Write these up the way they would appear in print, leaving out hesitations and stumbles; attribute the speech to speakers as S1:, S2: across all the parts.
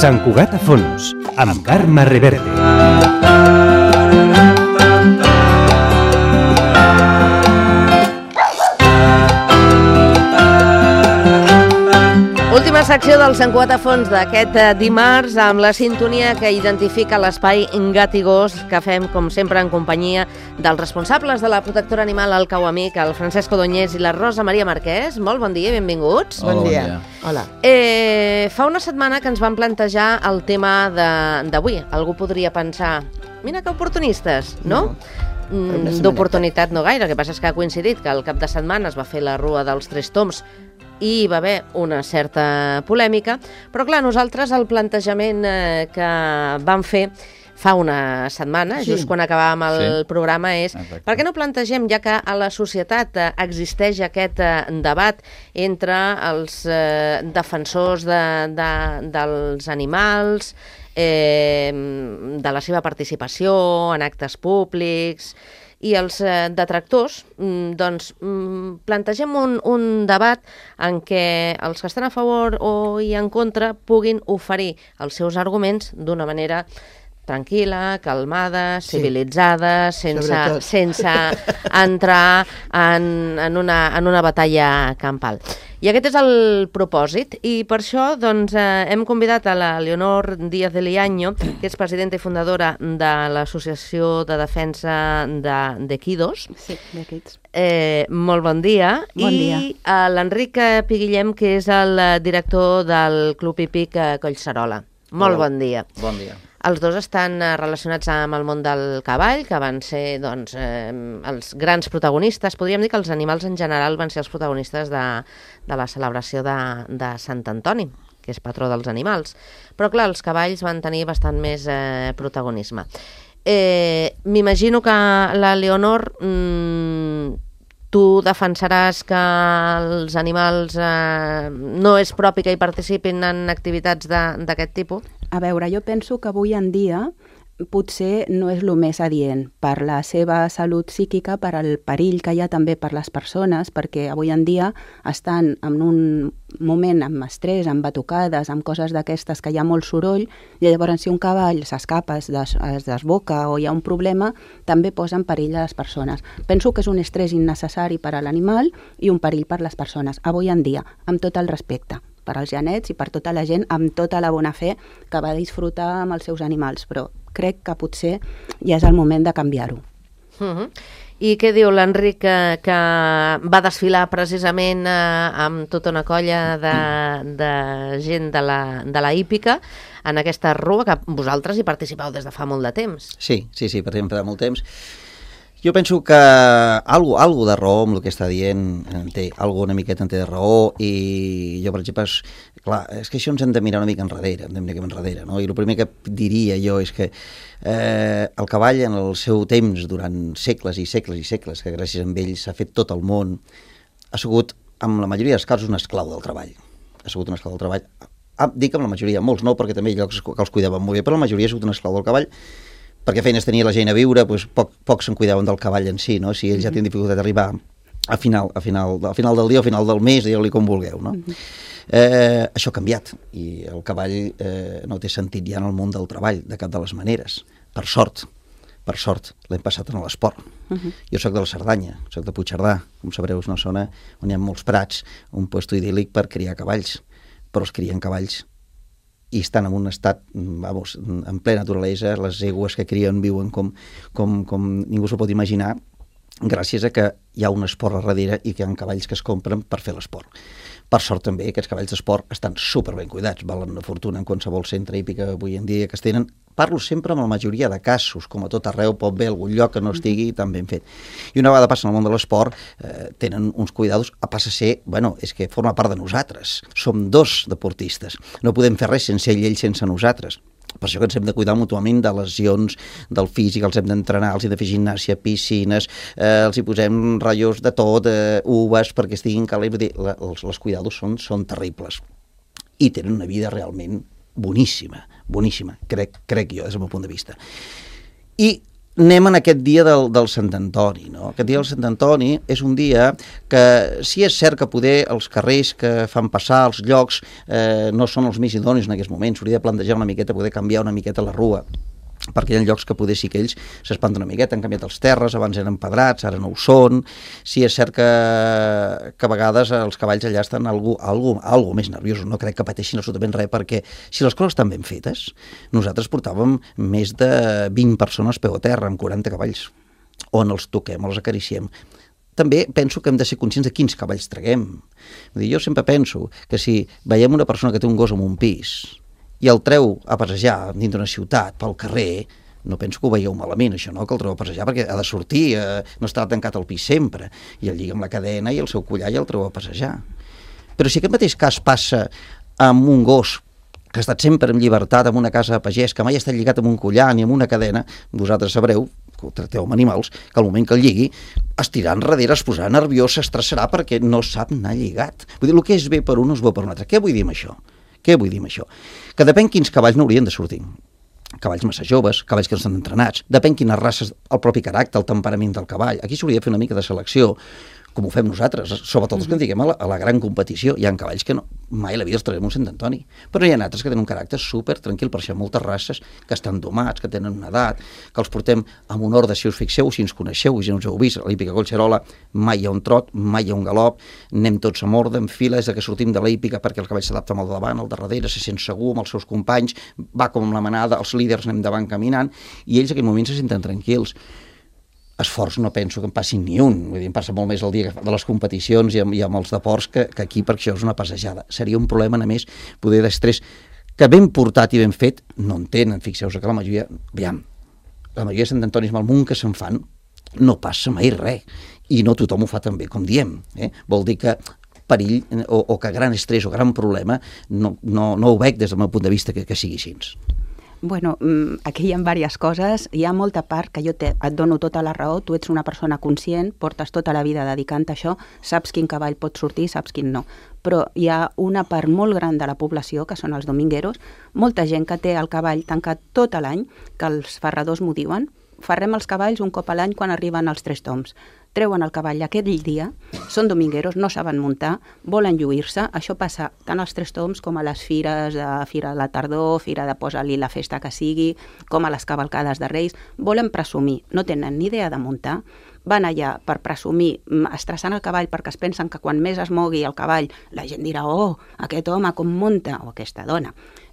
S1: Sant Cugat a fons, amb Carme Reverte.
S2: Última secció del Sant Cugat a fons d'aquest dimarts amb la sintonia que identifica l'espai Gat i Gos que fem, com sempre, en companyia dels responsables de la protectora animal al Cau Amic, el Francesco Doñés i la Rosa Maria Marquès. Molt bon dia, benvinguts.
S3: Bon dia.
S2: Hola. Fa una setmana que ens van plantejar el tema d'avui. Algú podria pensar, mira que oportunistes, no? D'oportunitat no gaire, el que passa és que ha coincidit que el cap de setmana es va fer la Rua dels Tres Tombs i hi va haver una certa polèmica, però clar, nosaltres el plantejament que vam fer fa una setmana, just quan acabàvem el programa, és per què no plantegem, ja que a la societat existeix aquest debat entre els defensors dels animals, de la seva participació en actes públics, i els detractors, doncs plantegem un debat en què els que estan a favor o i en contra puguin oferir els seus arguments d'una manera tranquil·la, calmada, civilitzada, sense entrar en una batalla campal. I aquest és el propòsit, i per això doncs, hem convidat a la Leonor Díaz de Liaño, que és presidenta i fundadora de l'Associació de Defensa d'Equidos.
S4: Sí, d'Equids.
S2: Molt bon dia.
S4: Bon dia.
S2: I a l'Enric Piguillem, que és el director del Club Hípic Collserola. Molt bon dia.
S3: Bon dia.
S2: Els dos estan relacionats amb el món del cavall, que van ser doncs, els grans protagonistes. Podríem dir que els animals en general van ser els protagonistes de la celebració de Sant Antoni, que és patró dels animals. Però clar, els cavalls van tenir bastant més protagonisme. M'imagino que la Leonor, tu defensaràs que els animals no és propi que hi participin en activitats d'aquest tipus?
S4: A veure, jo penso que avui en dia potser no és el més adient per la seva salut psíquica, per al perill que hi ha també per les persones, perquè avui en dia estan en un moment amb estrès, amb batucades, amb coses d'aquestes que hi ha molt soroll, i llavors si un cavall s'escapa, es desboca o hi ha un problema, també posa en perill a les persones. Penso que és un estrès innecessari per a l'animal i un perill per a les persones, avui en dia, amb tot el respecte per als genets i per tota la gent, amb tota la bona fe que va disfrutar amb els seus animals, però crec que potser ja és el moment de canviar-ho.
S2: I què diu l'Enric, que va desfilar precisament amb tota una colla de gent de la hípica en aquesta rua, que vosaltres hi participeu des de fa molt de temps?
S3: Sí, participem de molt temps. Jo penso que algo de raó amb el que està dient, una miqueta en té de raó, i jo, per exemple, clar, és que això ens hem de mirar una mica enrere, no? I el primer que diria jo és que el cavall en el seu temps, durant segles i segles i segles, que gràcies a ell s'ha fet tot el món, ha sigut, en la majoria dels casos, un esclau del treball. Dic amb la majoria, molts no, perquè també hi ha llocs que els cuidaven molt bé, però la majoria ha sigut un esclau del cavall, perquè feines tenia la gent a viure, doncs poc se'n cuidaven del cavall en si, no? Si ells ja tenen dificultat d'arribar al final del dia o al final del mes, digueu-li com vulgueu, no? Això ha canviat, i el cavall no té sentit ja en el món del treball, de cap de les maneres. Per sort, l'hem passat en l'esport. Jo soc de la Cerdanya, soc de Puigcerdà, com sabreu, és una zona on hi ha molts prats, un lloc idíl·lic per criar cavalls, però es crien cavalls i estan en un estat, en plena naturalesa, les egües que crien viuen com ningú s'ho pot imaginar, gràcies a que hi ha un esport a darrere i que hi ha cavalls que es compren per fer l'esport. Per sort també, aquests cavalls d'esport estan superben cuidats, valen una fortuna en qualsevol centre hípic avui en dia que es tenen. Parlo sempre amb la majoria de casos, com a tot arreu pot haver algun lloc que no estigui tan ben fet. I una vegada passen al món de l'esport, tenen uns cuidados, passa a ser, és que forma part de nosaltres. Som dos deportistes, no podem fer res sense ell sense nosaltres. Per això que ens hem de cuidar mútuament de lesions, del físic, els hem d'entrenar, els hem de fer gimnàsia, piscines, els hi posem ratllos de tot, uves, perquè estiguin calents. Els cuidados són terribles. I tenen una vida realment boníssima, crec jo, des del meu punt de vista. I anem en aquest dia del Sant Antoni, no? Aquest dia del Sant Antoni és un dia que sí és cert que poder els carrers que fan passar, els llocs, no són els més idonis en aquests moments, s'hauria de plantejar una miqueta, poder canviar una miqueta la rua, perquè hi ha llocs que poder sí que ells s'espanten una miqueta, han canviat els terres, abans eren empedrats, ara no ho són. Sí és cert que a vegades els cavalls allà estan algo més nerviosos, no crec que pateixin absolutament res, perquè si les coses estan ben fetes, nosaltres portàvem més de 20 persones peu a terra, amb 40 cavalls, on els toquem, els acariciem. També penso que hem de ser conscients de quins cavalls traguem. Vull dir, jo sempre penso que si veiem una persona que té un gos en un pis i el treu a passejar dins d'una ciutat, pel carrer, no penso que ho veieu malament, això, no? Que el treu a passejar perquè ha de sortir, no estarà tancat al pis sempre, i el lliga amb la cadena i el seu collar i el treu a passejar. Però si aquest mateix cas passa amb un gos que ha estat sempre en llibertat, en una casa de pagès, que mai ha estat lligat amb un collar ni amb una cadena, vosaltres sabreu, que ho tracteu amb animals, que al moment que el lligui es tirarà enrere, es posarà nerviós, s'estressarà perquè no sap anar lligat. Vull dir, el que és bé per un no és bo per un altre. Què vull dir amb això? Què vull dir amb això? Que depèn quins cavalls no haurien de sortir. Cavalls massa joves, cavalls que no estan entrenats, depèn quines races, el propi caràcter, el temperament del cavall. Aquí s'hauria de fer una mica de selecció, com ho fem nosaltres, sobretot els que ens diguem a la gran competició. Hi ha cavalls que mai a la vida els traiem un Sant Antoni, però hi ha altres que tenen un caràcter super tranquil, per això hi ha moltes races que estan domats, que tenen una edat, que els portem amb un ordre, si us fixeu, si ens coneixeu, si no us heu vist, a l'hípica Collserola mai hi ha un trot, mai hi ha un galop, anem tots amb ordre, en fila, des que sortim de l'hípica perquè el cavall s'adapta amb el davant, el darrere, se sent segur amb els seus companys, va com la manada, els líders anem davant caminant, i ells en aquell moment se senten tranquils. Esforç no penso que en passin ni un, vull dir, em passa molt més el dia de les competicions i amb els deports que aquí, perquè això és una passejada. Seria un problema, a més, poder d'estrès, que ben portat i ben fet no en tenen. Fixeu-vos que la majoria, la majoria de Sant Antonis amb el munt que se'n fan, no passa mai res, i no tothom ho fa tan bé com diem. Vol dir que perill o que gran estrès o gran problema no ho veig des del meu punt de vista que sigui així.
S4: Bueno, aquí hi ha diverses coses. Hi ha molta part que jo et dono tota la raó. Tu ets una persona conscient, portes tota la vida dedicant a això, saps quin cavall pot sortir, saps quin no. Però hi ha una part molt gran de la població, que són els domingueros, molta gent que té el cavall tancat tot l'any, que els ferradors m'ho diuen. Ferrem els cavalls un cop a l'any quan arriben els 3 toms. Treuen el cavall aquell dia, són domingueros, no saben muntar, volen lluir-se. Això passa tant als 3 toms com a les fires, fira de la tardor, fira de posa-li la festa que sigui, com a les cavalcades de Reis. Volen presumir, no tenen ni idea de muntar, van allà per presumir, estressant el cavall perquè es pensen que quan més es mogui el cavall, la gent dirà, oh, aquest home com munta, o aquesta dona.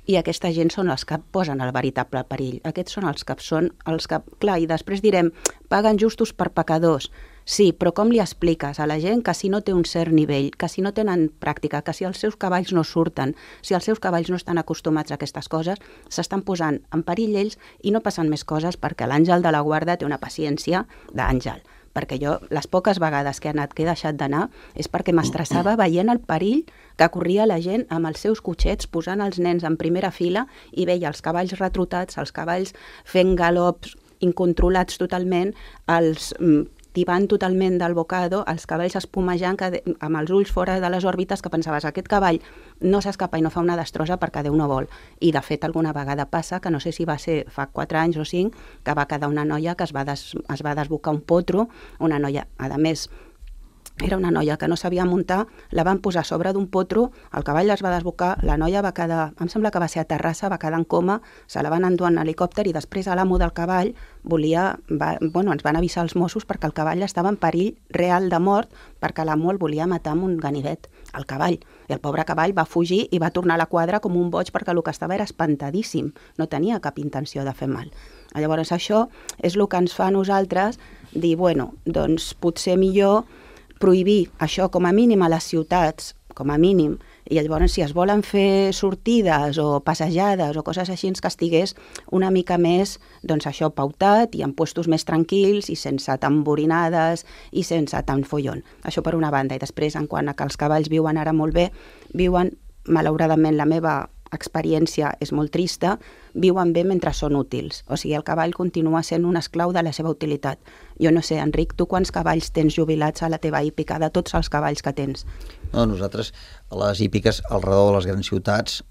S4: I aquesta gent són els que posen el veritable perill. Aquests són els que, clar, i després direm, paguen justos per pecadors. Sí, però com li expliques a la gent que si no té un cert nivell, que si no tenen pràctica, que si els seus cavalls no surten, si els seus cavalls no estan acostumats a aquestes coses, s'estan posant en perill ells i no passen més coses perquè l'àngel de la guarda té una paciència d'àngel. Perquè jo, les poques vegades que he deixat d'anar, és perquè m'estressava veient el perill que corria la gent amb els seus cotxets, posant els nens en primera fila i veia els cavalls retrotats, els cavalls fent galops incontrolats totalment, els tibant totalment del bocado, els cavalls espumejant amb els ulls fora de les òrbites, que pensaves, aquest cavall no s'escapa i no fa una destrossa perquè Déu no vol. I de fet alguna vegada passa, que no sé si va ser fa 4 anys o 5, que va quedar una noia que es va desbocar un potro, una noia, a més, era una noia que no sabia muntar, la van posar a sobre d'un potro, el cavall es va desbocar, la noia va quedar, em sembla que va ser a Terrassa, va quedar en coma, se la van endur en helicòpter i després l'amo del cavall ens van avisar els Mossos perquè el cavall estava en perill real de mort perquè l'amo el volia matar amb un ganivet, el cavall. I el pobre cavall va fugir i va tornar a la quadra com un boig perquè el que estava era espantadíssim, no tenia cap intenció de fer mal. Llavors això és el que ens fa a nosaltres dir, bueno, doncs potser millor prohibir això com a mínim a les ciutats, com a mínim, i llavors si es volen fer sortides o passejades o coses així que estigués una mica més, doncs això, pautat i en puestos més tranquils i sense tamborinades i sense tant follon. Això per una banda. I després, en quant a que els cavalls viuen ara molt bé, viuen, malauradament la meva experiència és molt trista, viuen bé mentre són útils. O sigui, el cavall continua sent un esclau de la seva utilitat. Jo no sé, Enric, tu quants cavalls tens jubilats a la teva hípica, de tots els cavalls que tens?
S3: No, nosaltres, a les hípiques, al redor de les grans ciutats,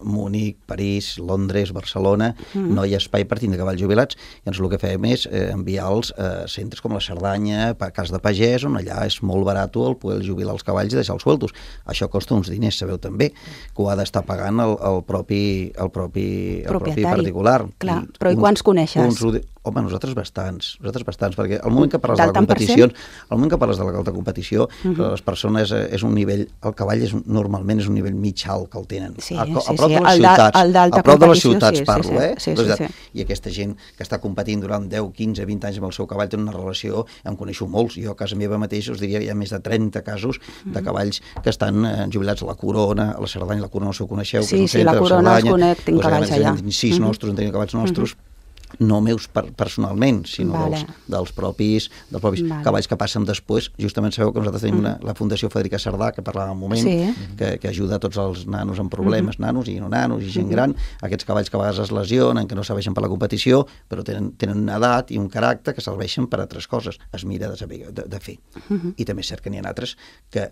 S3: Múnich, París, Londres, Barcelona, no hi ha espai per tindre cavalls jubilats. Llavors el que fem és enviar-los a centres com la Cerdanya, a Cas de Pagès, on allà és molt barat el poder jubilar els cavalls i deixar-los sueltos. Això costa uns diners, sabeu també, que ho ha d'estar pagant el propi particular.
S4: Clar, però i quants coneixes?
S3: Home, nosaltres bastants, perquè al moment que parles de la competició, al moment que parles de l'alta competició, les persones és un nivell, el cavall normalment és un nivell mig alt que el tenen. A prop de les ciutats, a prop de les ciutats parlo, i aquesta gent que està competint durant 10, 15, 20 anys amb el seu cavall té una relació, em coneixo molts, jo a casa meva mateix us diria que hi ha més de 30 casos de cavalls que estan jubilats a la Corona, a la Cerdanya, la Corona no s'ho coneixeu,
S4: sí, la Corona els conec, tinc cavalls allà.
S3: 6 nostres, en tenim cavalls nostres, no meus personalment, sinó dels propis cavalls que passen després. Justament sabeu que nosaltres tenim la Fundació Federica Cerdà, que parlàvem un moment, que ajuda a tots els nanos amb problemes, nanos i no nanos i gent gran, aquests cavalls que a vegades es lesionen, que no serveixen per la competició, però tenen una edat i un caràcter que serveixen per a altres coses. Es mira de fer. I també és cert que n'hi ha altres que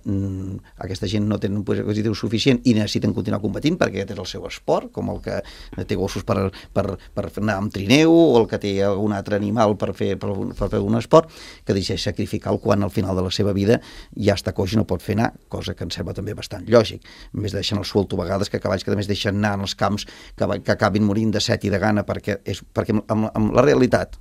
S3: aquesta gent no tenen un poder adquisitiu suficient i necessiten continuar competint perquè aquest és el seu esport, com el que té gossos per anar amb trineu, o el que té algun altre animal per fer un esport, que decideix sacrificar-lo quan al final de la seva vida ja està coix i no pot fer anar, cosa que em sembla també bastant lògic. A més deixen el suelto a vegades, que cavalls que a més deixen anar en els camps que acabin morint de set i de gana, perquè amb la realitat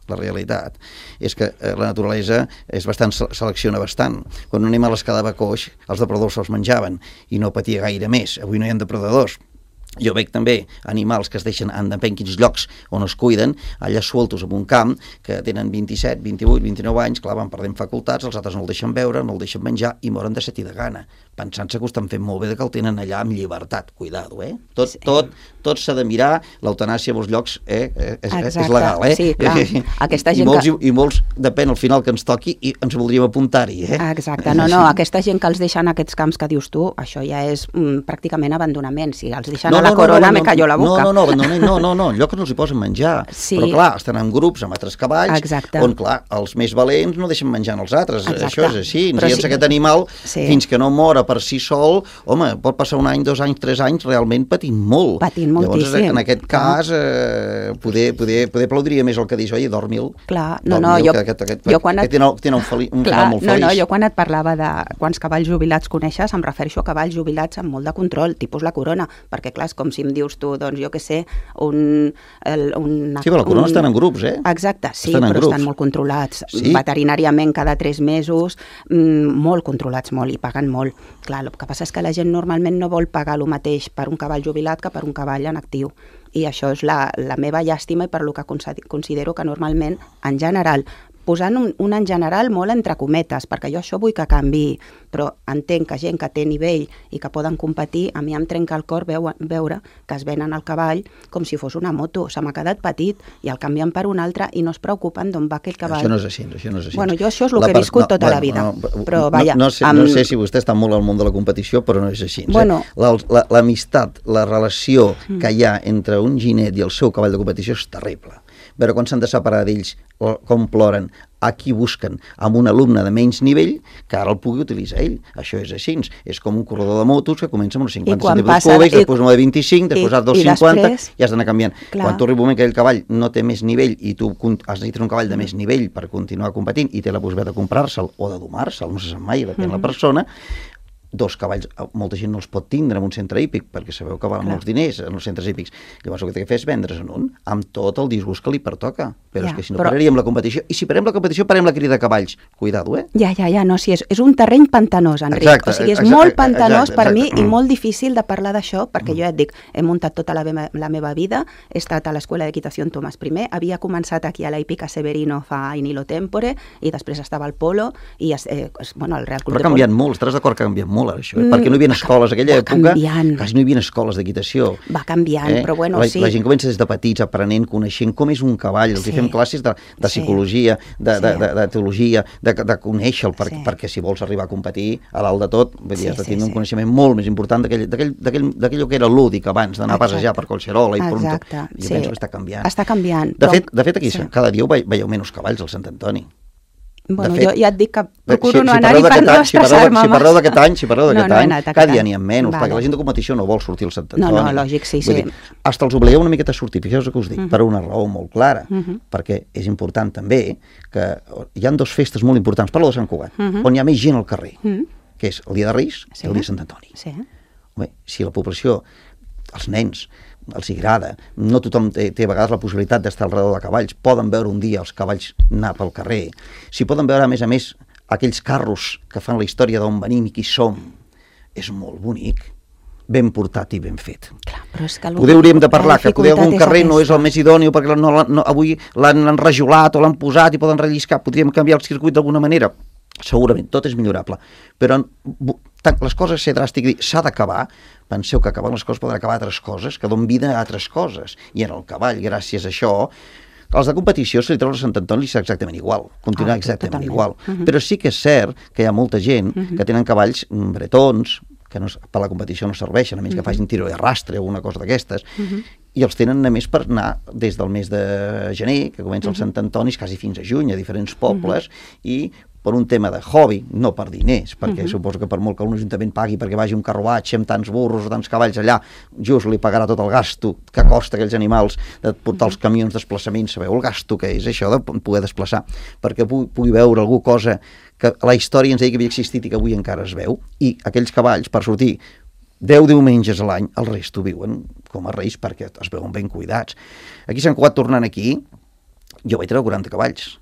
S3: és que la naturalesa selecciona bastant. Quan un animal es quedava coix, els depredadors se'ls menjaven i no patia gaire més. Avui no hi ha depredadors. Jo veig també animals que es deixen en depèn quins llocs on es cuiden, allà sueltos en un camp, que tenen 27, 28, 29 anys, clar, van perdent facultats, els altres no el deixen veure, no el deixen menjar i moren de set i de gana, pensant-se que ho estan fent molt bé, que el tenen allà amb llibertat. Cuidado, Tot s'ha de mirar, l'eutanàsia a molts llocs és legal,
S4: Sí, clar. Aquesta gent
S3: I molts, depèn al final que ens toqui, i ens voldríem apuntar-hi,
S4: Exacte, no, aquesta gent que els deixa en aquests camps que dius tu, això ja és pràcticament abandonament, si els deixen a la Corona me cayó la boca.
S3: No, lloc que no els hi posen menjar, però clar, estan en grups amb altres cavalls, on clar, els més valents no deixen menjar els altres, això és així, llavors aquest animal, fins que no mora per si sol, home, pot passar un any, 2 anys, 3 anys realment patint molt. Llavors, en aquest cas, poder aplaudiria més el que dius, oi, dormi'l.
S4: Clar, jo quan et parlava de quants cavalls jubilats coneixes, em refereixo a cavalls jubilats amb molt de control, tipus la Corona, perquè clar, és com si em dius tu, doncs jo què sé, sí,
S3: però la Corona estan en grups,
S4: Exacte, sí, però estan molt controlats, veterinàriament cada 3 mesos, molt controlats, molt, i paguen molt. Clar, el que passa és que la gent normalment no vol pagar el mateix per un cavall jubilat que per un cavall en actiu. I això és la meva llàstima i per lo que considero que normalment, en general, posant un en general molt entre cometes, perquè jo això vull que canviï, però entenc que gent que té nivell i que poden competir, a mi em trenca el cor veure que es venen el cavall com si fos una moto. Se m'ha quedat petit i el canvien per un altre i no es preocupen d'on va aquell cavall.
S3: Això no és així.
S4: Bueno, jo això és el que he viscut tota la vida. Però, vaja,
S3: no sé si vostè està molt al món de la competició, però no és així.
S4: Bueno,
S3: l'amistat, la relació que hi ha entre un ginet i el seu cavall de competició és terrible. Veure quan s'han de separar d'ells, com ploren, a qui busquen, amb un alumne de menys nivell que ara el pugui utilitzar ell. Això és així. És com un corredor de motos que comença amb uns 50 centímetres cúbics, després una de 25, després a 250, i has d'anar canviant. Quan tu arriba un moment que el cavall no té més nivell i tu has necessitat un cavall de més nivell per continuar competint i té la possibilitat de comprar-se'l o de domar-se'l, no se sap mai, depèn de la persona, 2 cavalls, molta gent no els pot tindre en un centre hípic, perquè sabeu que valen molts diners en els centres hípics. Llavors el que té que fer és vendre's en un, amb tot el disgust que li pertoca. Però és que si no pararíem la competició, i si parem la competició, parem la crida de cavalls. Cuidado,
S4: Ja, no, sí, és un terreny pantanós, Enric. O sigui, és molt pantanós per mi i molt difícil de parlar d'això, perquè jo ja et dic, he muntat tota la meva vida, he estat a l'Escola d'Equitació en Tomàs I, havia començat aquí a la hípica Severino fa in illo tempore, i després estava al polo, i el Real Club de Polo.
S3: Però ha canviat molt, estaràs d'acord que ha canviat molt ara això, perquè no hi havia escoles, aquella època quasi no hi havia escoles d'equitació.
S4: Va canviant, però bueno, sí.
S3: La gent comença des de petits, aprenent, coneixent com és un cavall, els fem classes de psicologia, de teologia, de conèixer-lo, perquè si vols arribar a competir, a dalt de tot, has de tenir un coneixement molt més important d'aquell que era lúdic abans, d'anar a passejar per Collserola i Pronto. I penso que està canviant.
S4: Està canviant.
S3: De fet, aquí cada dia veieu menys cavalls al Sant Antoni.
S4: Bueno,
S3: fet,
S4: jo ja et dic que procuro no anar-hi
S3: parleu
S4: per no
S3: d'aquest any,
S4: estressar-me
S3: si parleu d'aquest any, cada dia n'hi ha menys,
S4: Vale.
S3: perquè la gent de competició no vol sortir al Sant Antoni.
S4: No, lògic, sí.
S3: Vull dir, hasta els obligueu una miqueta a sortir, fixeu el que us dic, per una raó molt clara, perquè és important també que hi ha dues festes molt importants, parlo de Sant Cugat, on hi ha més gent al carrer, que és el dia de Reis i el dia de Sant Antoni.
S4: Sí.
S3: Bé, si la població, els nens, els hi agrada, no tothom té a vegades la possibilitat d'estar al redor de cavalls, poden veure un dia els cavalls anar pel carrer, si poden veure a més aquells carros que fan la història d'on venim i qui som, és molt bonic, ben portat i ben fet.
S4: Clar, però és que
S3: Hauríem de parlar que poder algun carrer no és el més idòneu perquè avui l'han rajolat o l'han posat i poden relliscar, podríem canviar el circuit d'alguna manera. Segurament, tot és millorable, però les coses, ser dràstic, dir s'ha d'acabar, penseu que acabant les coses poden acabar altres coses, que donen vida a altres coses, i en el cavall, gràcies a això, els de competició, si li treus a Sant Antoni, és exactament igual, continua exactament igual, però sí que és cert que hi ha molta gent que tenen cavalls bretons, que per la competició no serveixen, a menys que facin tiro i arrastre o alguna cosa d'aquestes, i els tenen a més per anar des del mes de gener, que comença el Sant Antoni, quasi fins a juny, a diferents pobles, i per un tema de hobby, no per diners, perquè suposo que per molt que un ajuntament pagui perquè vagi un carruatge amb tants burros o tants cavalls allà, just li pagarà tot el gasto que costa aquells animals de portar els camions desplaçaments, sabeu el gasto que és això de poder desplaçar, perquè pugui veure alguna cosa que la història ens deia que havia existit i que avui encara es veu, i aquells cavalls per sortir 10 diumenges a l'any, el resto viuen com a reis perquè es veuen ben cuidats. Aquí a Sant Cugat, tornant aquí, jo vaig treure 40 cavalls,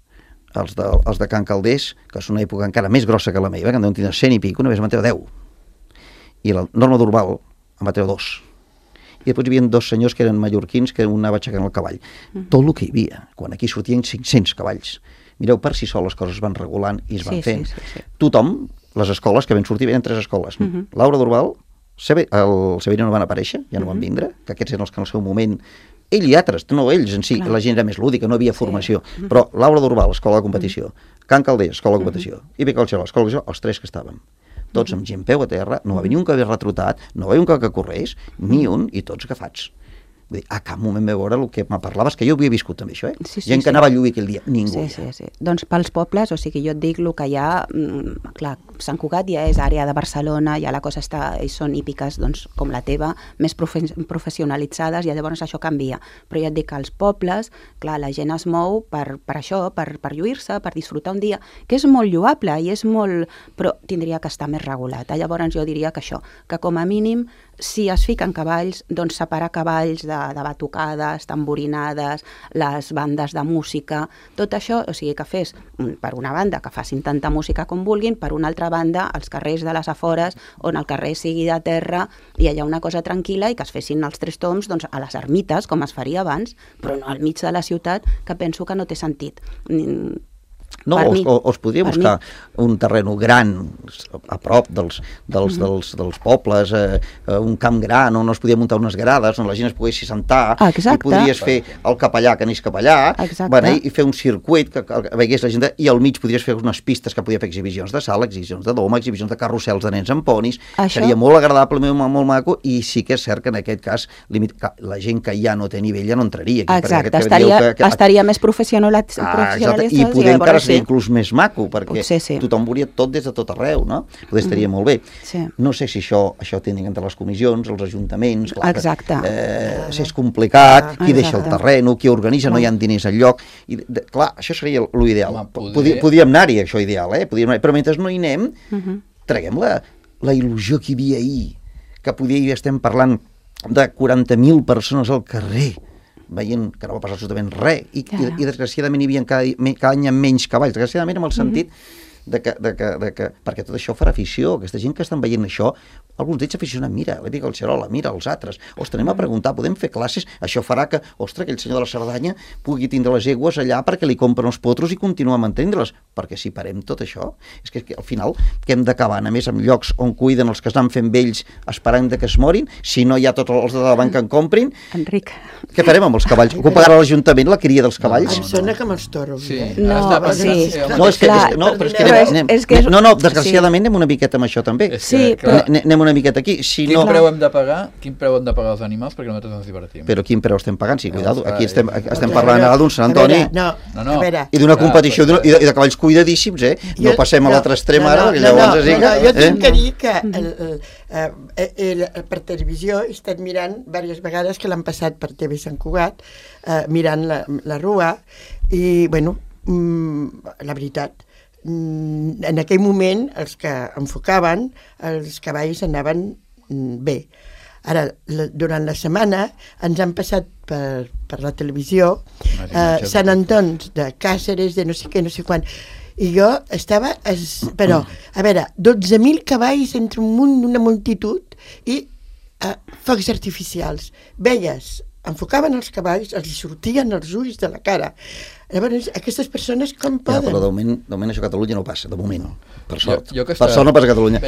S3: els de Can Calders, que és una època encara més grossa que la meva, que en deuen tenir 100 i pico, només em van treure 10. I la Norma d'Urbal em va treure 2. I després hi havia 2 senyors que eren mallorquins que un anava aixecant el cavall. Tot el que hi havia, quan aquí sortien 500 cavalls. Mireu, per si sol les coses van regulant i es van fent. Sí. Tothom, les escoles que van sortir, venen 3 escoles. Laura d'Urbal, el Severino no van aparèixer, ja no van vindre, que aquests eren els que en el seu moment... Ell i altres, no ells en si, la gent era més lúdica, no havia formació, però Laura d'Urbal, escola de competició, Can Calders, escola de competició, i Pica el Xaló, escola de competició, els 3 que estàvem. Tots amb gent peu a terra, no va venir un que havia retrotat, no va venir un que corrés, ni un, i tots agafats. Vull dir, a cap moment vam veure el que me parlaves, que jo havia viscut també això, gent que anava a Llull aquell dia, ningú.
S4: Sí. Doncs pels pobles, o sigui, jo et dic el que hi ha, clar, Sant Cugat ja és àrea de Barcelona, ja la cosa està, i són hípiques, doncs, com la teva, més professionalitzades, i llavors això canvia. Però ja et dic que als pobles, clar, la gent es mou per això, per lluir-se, per disfrutar un dia, que és molt lloable i és molt... però tindria que estar més regulat. Llavors jo diria que això, que com a mínim, si es fiquen cavalls, doncs separar cavalls de batucades, tamborinades, les bandes de música, tot això, o sigui, que fes, per una banda, que facin tanta música com vulguin, per una altra banda, els carrers de les afores, on el carrer sigui de terra i allà una cosa tranquil·la i que es fessin els 3 toms doncs, a les ermites, com es faria abans, però no al mig de la ciutat, que penso que no té sentit.
S3: No, o es podria buscar un terreno gran a prop dels pobles, un camp gran on es podia muntar unes grades, on la gent es pogués sentar, i podries fer el capellà que anés capellà, i fer un circuit que veiés la gent, i al mig podries fer unes pistes que podia fer exhibicions de sala, exhibicions de doma, exhibicions de carrusels de nens amb ponis, seria molt agradable, molt maco, i sí que és cert que en aquest cas la gent que ja no té nivell ja no entraria aquí.
S4: Exacte, estaria més professionalitzat
S3: i poder encara seria inclús més maco, perquè tothom veuria tot des de tot arreu, no? Poder estaria molt bé. No sé si això tenen entre les comissions, els ajuntaments, si és complicat, qui deixa el terreny, qui organitza, no hi ha diners al lloc, i clar, això seria l'ideal. Podíem anar-hi, això ideal, però mentre no hi anem, traguem la il·lusió que hi havia ahir, que estem parlant de 40.000 persones al carrer, veient que no va passar absolutament res, i desgraciadament hi havia cada any menys cavalls, desgraciadament amb el sentit perquè tot això farà afició, aquesta gent que estan veient això, alguns d'ells s'aficionen, mira, l'Èpica del Xarola, mira els altres, ostres, anem a preguntar, podem fer classes, això farà que, ostres, aquell senyor de la Cerdanya pugui tindre les egües allà perquè li compren els potros i continuar mantenint-les, perquè si parem tot això, és que al final que hem d'acabar, a més, amb llocs on cuiden els que estan fent vells esperant que es morin, si no hi ha tots els de davant que en comprin.
S4: Enric.
S3: Què farem amb els cavalls? Ho pagarà l'Ajuntament, la cria dels cavalls?
S5: Em sona que m'estoro.
S3: No, desgraciadament anem una miqueta amb això també.
S4: Sí, però...
S3: Anem una miqueta aquí. Si
S5: Quin
S3: no...
S5: preu hem de pagar els animals perquè nosaltres ens divertim?
S3: Però quin preu estem pagant? Sí, cuidado. Aquí estem
S6: Clar,
S3: parlant ara d'un Sant Antoni
S5: No.
S6: a veure,
S3: i d'una competició i de cavalls cuidadíssims, No passem a l'altre extrem ara, perquè llavors
S6: jo tinc que dir que per televisió he estat mirant diverses vegades que l'han passat per TV Sant Cugat, mirant la rua, i, bueno, la veritat, en aquell moment els que enfocaven els cavalls anaven bé. Ara, durant la setmana ens han passat per la televisió Sant Antons de Càceres, de no sé què, no sé quan, i jo estava, però, a veure, 12.000 cavalls entre un munt, una multitud, i focs artificials. Veies, enfocaven els cavalls, els sortien els ulls de la cara. Llavors, aquestes persones com poden?
S3: Però de moment això a Catalunya no passa, de moment. Per sort.
S5: Jo
S3: Per sort no passa a Catalunya.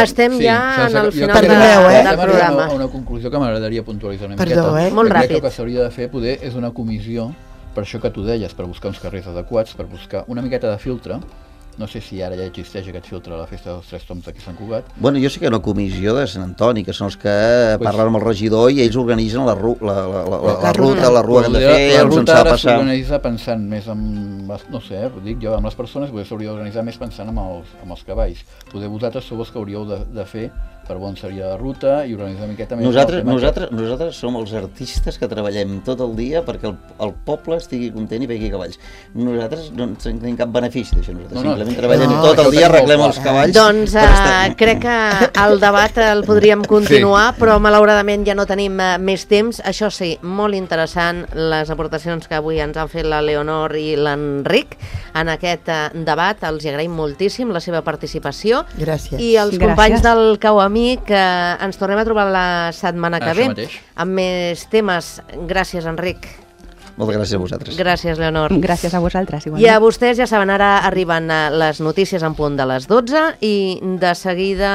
S2: Estem ja en el final del programa.
S5: A una conclusió que m'agradaria puntualitzar una miqueta.
S6: Perdó,
S2: Molt ràpid.
S5: Crec que el que s'hauria de fer poder és una comissió, per això que tu deies, per buscar uns carrers adequats, per buscar una miqueta de filtre. No sé si ara ja existeix aquest filtre a la Festa dels Tres Tombs aquí a Sant Cugat.
S3: Bueno, jo sé que hi ha una comissió de Sant Antoni, que són els que parlen amb el regidor i ells organitzen la ruta, la rua que han de fer, on se'n s'ha de passar.
S5: S'organitza pensant més en, no sé, dic jo, amb les persones, potser s'hauria d'organitzar més pensant en els cavalls. Poder vosaltres sou els que hauríeu de fer per on seria la ruta i organitzar una miqueta més.
S3: Nosaltres som els artistes que treballem tot el dia perquè el poble estigui content i vegi cavalls. Nosaltres no tenim cap benefici d'això, simplement treballem tot el dia, arreglem els cavalls.
S2: Doncs crec que el debat el podríem continuar, però malauradament ja no tenim més temps. Això sí, molt interessant les aportacions que avui ens han fet la Leonor i l'Enric en aquest debat. Els agraïm moltíssim la seva participació.
S6: Gràcies.
S2: I els companys del Cauamí, que ens tornem a trobar la setmana que ve amb més temes. Gràcies, Enric.
S3: Moltes gràcies a vosaltres.
S2: Gràcies, Leonor.
S4: Gràcies a vosaltres. Igualment.
S2: I a vostès, ja saben, ara arriben les notícies en punt de les 12 i de seguida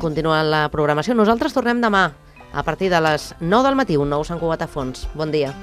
S2: continua la programació. Nosaltres tornem demà a partir de les 9 del matí, un nou Sant Cugat a fons. Bon dia.